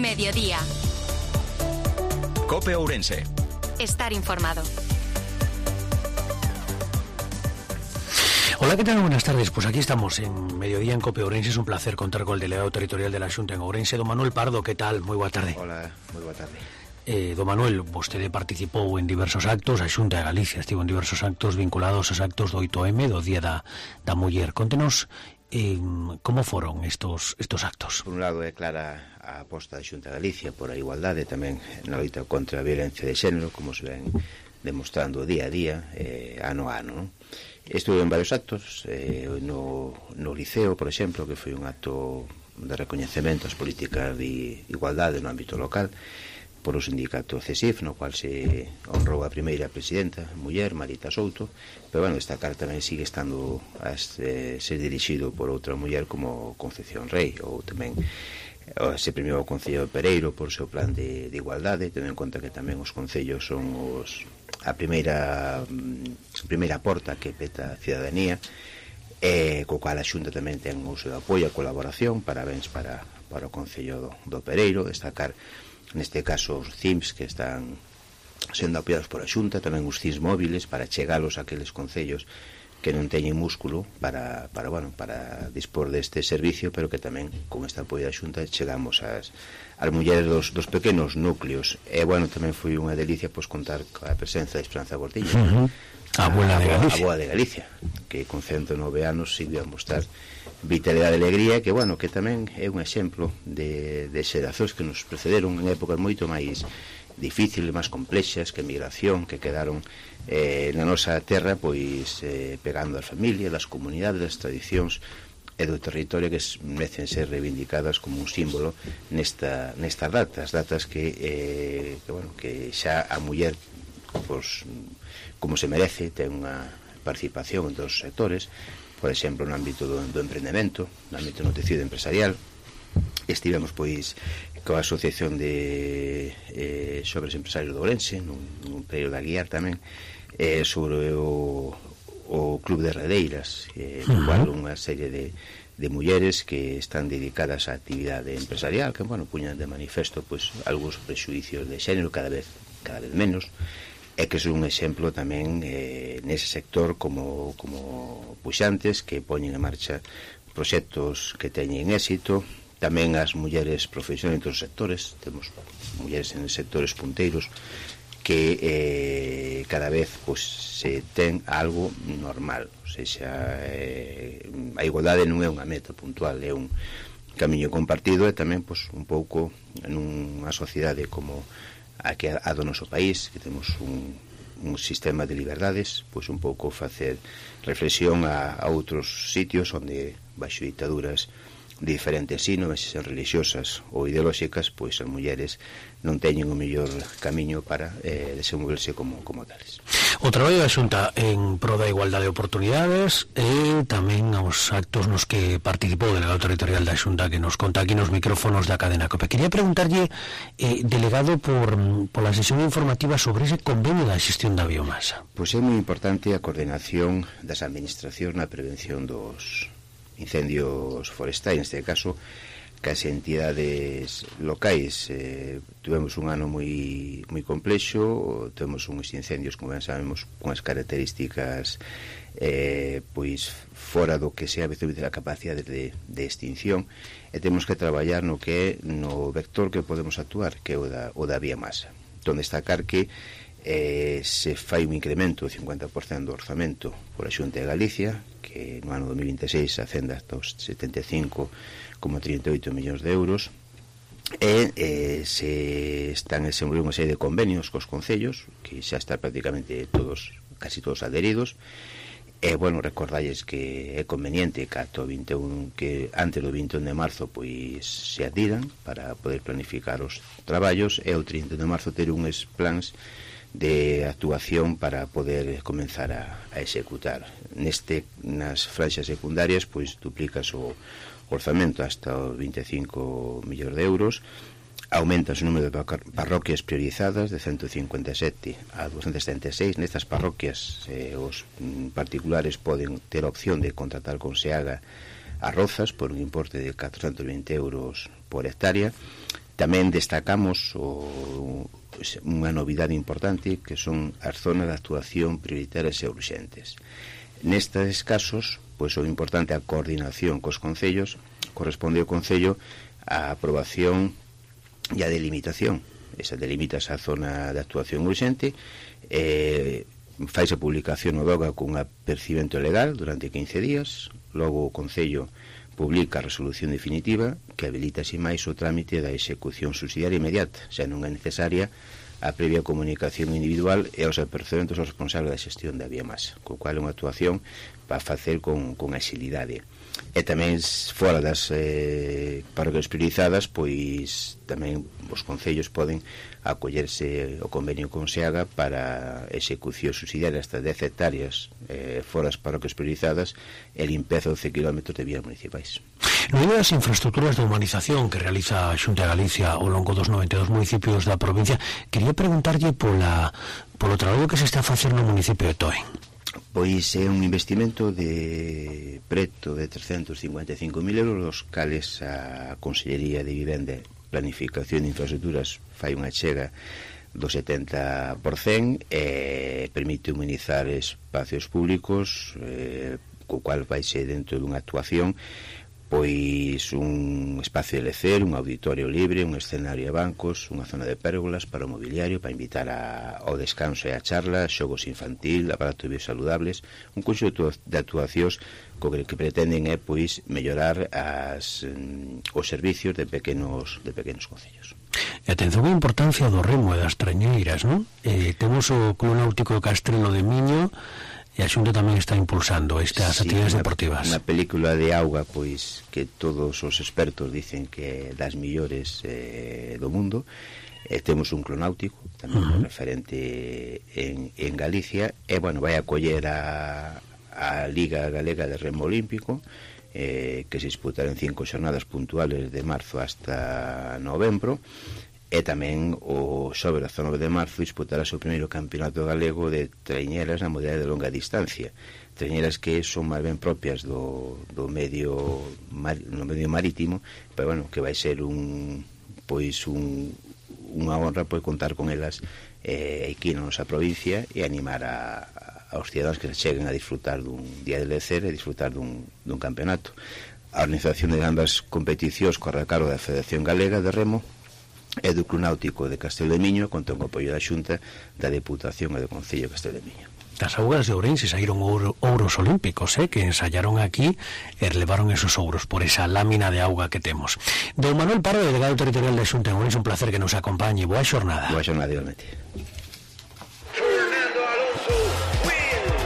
Mediodía. COPE Ourense. Estar informado. Hola, ¿qué tal? Buenas tardes. Pues aquí estamos en Mediodía en COPE Ourense. Es un placer contar con el delegado territorial de la Xunta en Ourense, don Manuel Pardo. ¿Qué tal? Moi boa tarde. Hola, moi boa tarde. Don Manuel, vostede participou en diversos actos, a Xunta de Galicia estivo en diversos actos vinculados aos actos do 8M, do Día da Muller. Contenos como foron estos actos. Por un lado é clara a aposta da Xunta de Galicia por a igualdade, tamén na loita contra a violencia de xénero, como se ven demostrando día a día, ano a ano, non? Estuve en varios actos, no Liceo, por exemplo, que foi un acto de recoñecemento ás políticas de igualdade no ámbito local, por o sindicato CESIF, no cual se honrou a primeira presidenta, muller, Marita Souto, pero, bueno, destacar tamén sigue estando a ser dirixido por outra muller como Concepción Rei, ou tamén se premiou o Concello de Pereiro por o seu plan de igualdade, tendo en conta que tamén os concellos son a primeira porta que peta a cidadanía, co cual a Xunta tamén ten o seu apoio a colaboración. Parabéns para o Concello do Pereiro. Destacar neste caso os CIMS que están sendo apoiados por a Xunta, tamén os CIMS móviles para chegalos a aqueles concellos que non teñen músculo para dispor deste servicio, pero que tamén con este apoio da Xunta chegamos ás mulleres dos pequenos núcleos. E, bueno, tamén foi unha delicia contar coa presenza de Esperanza Gordillo, a abuela de Galicia, que con 109 anos sigue a mostrar vitalidade e alegría, que, bueno, que tamén é un exemplo de xeracións que nos precederon en épocas moito máis difíciles, máis complexas, que migración, que quedaron na nosa terra, pois pegando as familias, as comunidades, as tradicións e do territorio que merecen ser reivindicadas como un símbolo nestas datas que xa a muller, pois, como se merece, ten unha participación en todos os sectores, por exemplo, no ámbito do emprendemento, no ámbito do tecido empresarial. Estivemos, pois, coa Asociación de Xovens Empresarios de Ourense, nun período de Aguiar tamén, sobre o Club de Redeiras, no cual unha serie de mulleres que están dedicadas á actividade empresarial, que, bueno, puñan de manifesto, pois, algúns prexuicios de xénero cada vez menos, e que é un exemplo tamén nese sector como puxantes que poñen en marcha proxectos que teñen éxito. Tamén as mulleres profesionais en todos os sectores, temos mulleres en sectores punteiros que cada vez se ten algo normal, ou seja, a igualdade non é unha meta puntual, é un camiño compartido, e tamén un pouco nunha sociedade como a do noso país, que temos un sistema de liberdades, pois un pouco facer reflexión a outros sitios onde baixo ditaduras diferentes sino, se religiosas ou ideolóxicas, pois as mulleres non teñen o mellor camiño para desenvolverse como tales. O traballo da Xunta en pro da igualdade de oportunidades e tamén aos actos nos que participou o delegado territorial da Xunta, que nos conta aquí nos micrófonos da cadena COPE. Quería preguntarlle, delegado, pola sesión informativa sobre ese convenio da xestión da biomasa. Pois é moi importante a coordinación das administracións na prevención dos incendios forestais, neste caso, que as entidades locais. Tivemos un ano moi complexo, temos uns incendios, como ben sabemos, con as características pois fora do que sea a veces a capacidade de extinción, e temos que traballar no que é no vector que podemos actuar, que é o da biomasa. Entón, destacar que se fai un incremento do 50% do orzamento por a Xunta de Galicia, que no ano 2026 ascende hasta os 75,38 millóns de euros, e se están desenvolvendo unha serie de convenios cos concellos, que xa están prácticamente casi todos adheridos. E, bueno, recordalles que é conveniente que antes do 21 de marzo pois se adhiran para poder planificar os traballos, e o 30 de marzo ter uns plans de actuación para poder comenzar a executar. Nas franxas secundarias, pois duplica o orzamento hasta os 25 millóns de euros, aumenta o número de parroquias priorizadas de 157 a 276. Nestas parroquias os particulares poden ter a opción de contratar con SEAGA as rozas por un importe de 420 euros por hectárea. Tamén destacamos unha novidade importante, que son as zonas de actuación prioritarias e urxentes. Nestes casos, pois o importante é a coordinación cos concellos. Corresponde ao Concello a aprobación e a delimitación. Esa delimita esa zona de actuación urxente, faise publicación no DOGA cun apercibimento legal durante 15 días, logo o Concello publica a resolución definitiva que habilita así máis o trámite da execución subsidiaria inmediata, xa non é necesaria a previa comunicación individual e aos apercebentos aos responsables da xestión da biomasa, co cual é unha actuación para facer con axilidade. E tamén fora das parroquias priorizadas, pois tamén os concellos poden acollerse o convenio con SEAGA para execución subsidiaria hasta 10 hectáreas fora das parroquias priorizadas e limpeza de 12 km de vías municipais. No medio das infraestructuras de humanización que realiza a Xunta de Galicia ao longo dos 92 municipios da provincia, quería preguntarlle polo traballo que se está a facer no municipio de Toen. Pois é un investimento de preto de 355.000 euros, os cales a Consellería de Vivenda, Planificación de Infraestructuras fai unha chega do 70% e permite humanizar espacios públicos, co cual vai ser dentro dunha actuación pois un espacio de lecer, un auditorio libre, un escenario de bancos, unha zona de pérgolas para o mobiliario, para invitar ao descanso e a charla, xogos infantil, aparatos biosaludables, un conxunto de actuacións que pretenden é pois mellorar os servicios de pequenos concellos. E atención á importancia do remo e das trañeiras, non? Temos o Club Náutico de Castrelo de Miño, e a Xunta tamén está impulsando estas actividades deportivas. Unha película de auga, pois, que todos os expertos dicen que é das millores do mundo. Temos un club náutico, tamén referente en Galicia, e, bueno, vai acoller a Liga Galega de Remo Olímpico, que se disputará en 5 xornadas puntuales de marzo hasta novembro, e tamén o sobre 19 de marzo disputará o seu primeiro campeonato galego de traiñeras na modalidade de longa distancia, traiñeras que son máis ben propias do medio marítimo, pero bueno, que vai ser unha honra pois contar con elas aquí na nosa provincia e animar aos cidadanos que cheguen a disfrutar dun día de lecer e disfrutar dun campeonato. A organización de ambas competicións corre a cargo da Federación Galega de Remo e do Club Náutico de Castelo de Miño, conta con o apoio da Xunta, da Deputación e do Concello de Castelo de Miño. Das augas de Ourense saíron ouros olímpicos, que ensayaron aquí e relevaron esos ouros por esa lámina de auga que temos. Don Manuel Pardo, delegado territorial da Xunta de Ourense, un placer que nos acompañe. Boa xornada. Boa xornada, igualmente.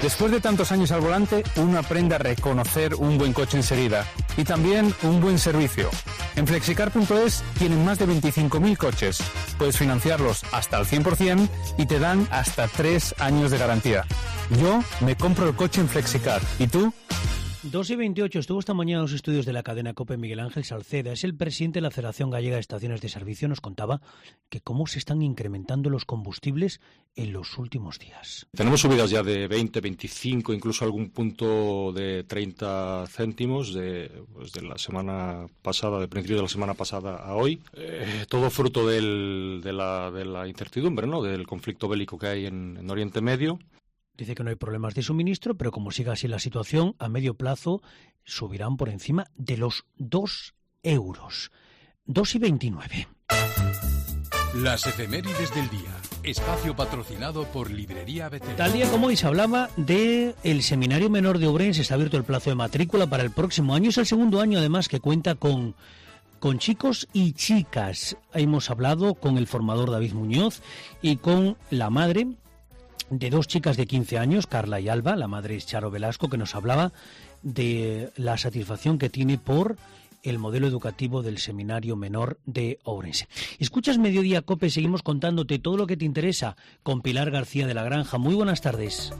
Después de tantos años al volante, uno aprende a reconocer un buen coche enseguida y también un buen servicio. En Flexicar.es tienen más de 25.000 coches. Puedes financiarlos hasta al 100% y te dan hasta 3 años de garantía. Yo me compro el coche en Flexicar. ¿Y tú? 2:28, estuvo esta mañana en los estudios de la cadena COPE Miguel Ángel Salceda, es el presidente de la Federación Gallega de Estaciones de Servicio. Nos contaba que cómo se están incrementando los combustibles en los últimos días. Tenemos subidas ya de 20, 25, incluso algún punto de 30 céntimos de la semana pasada, del principio de la semana pasada a hoy. Todo fruto de la incertidumbre, ¿no?, del conflicto bélico que hay en Oriente Medio. Dice que no hay problemas de suministro, pero como siga así la situación, a medio plazo subirán por encima de los 2 euros. 2,29. Las efemérides del día. Espacio patrocinado por Librería Betel. Tal día como hoy se hablaba del Seminario Menor de Ourense. Está abierto el plazo de matrícula para el próximo año. Es el segundo año, además, que cuenta con chicos y chicas. Hemos hablado con el formador David Muñoz y con la madre de 2 chicas de 15 años, Carla y Alba. La madre es Charo Velasco, que nos hablaba de la satisfacción que tiene por el modelo educativo del Seminario Menor de Ourense. Escuchas Mediodía COPE, seguimos contándote todo lo que te interesa con Pilar García de la Granja. Muy buenas tardes.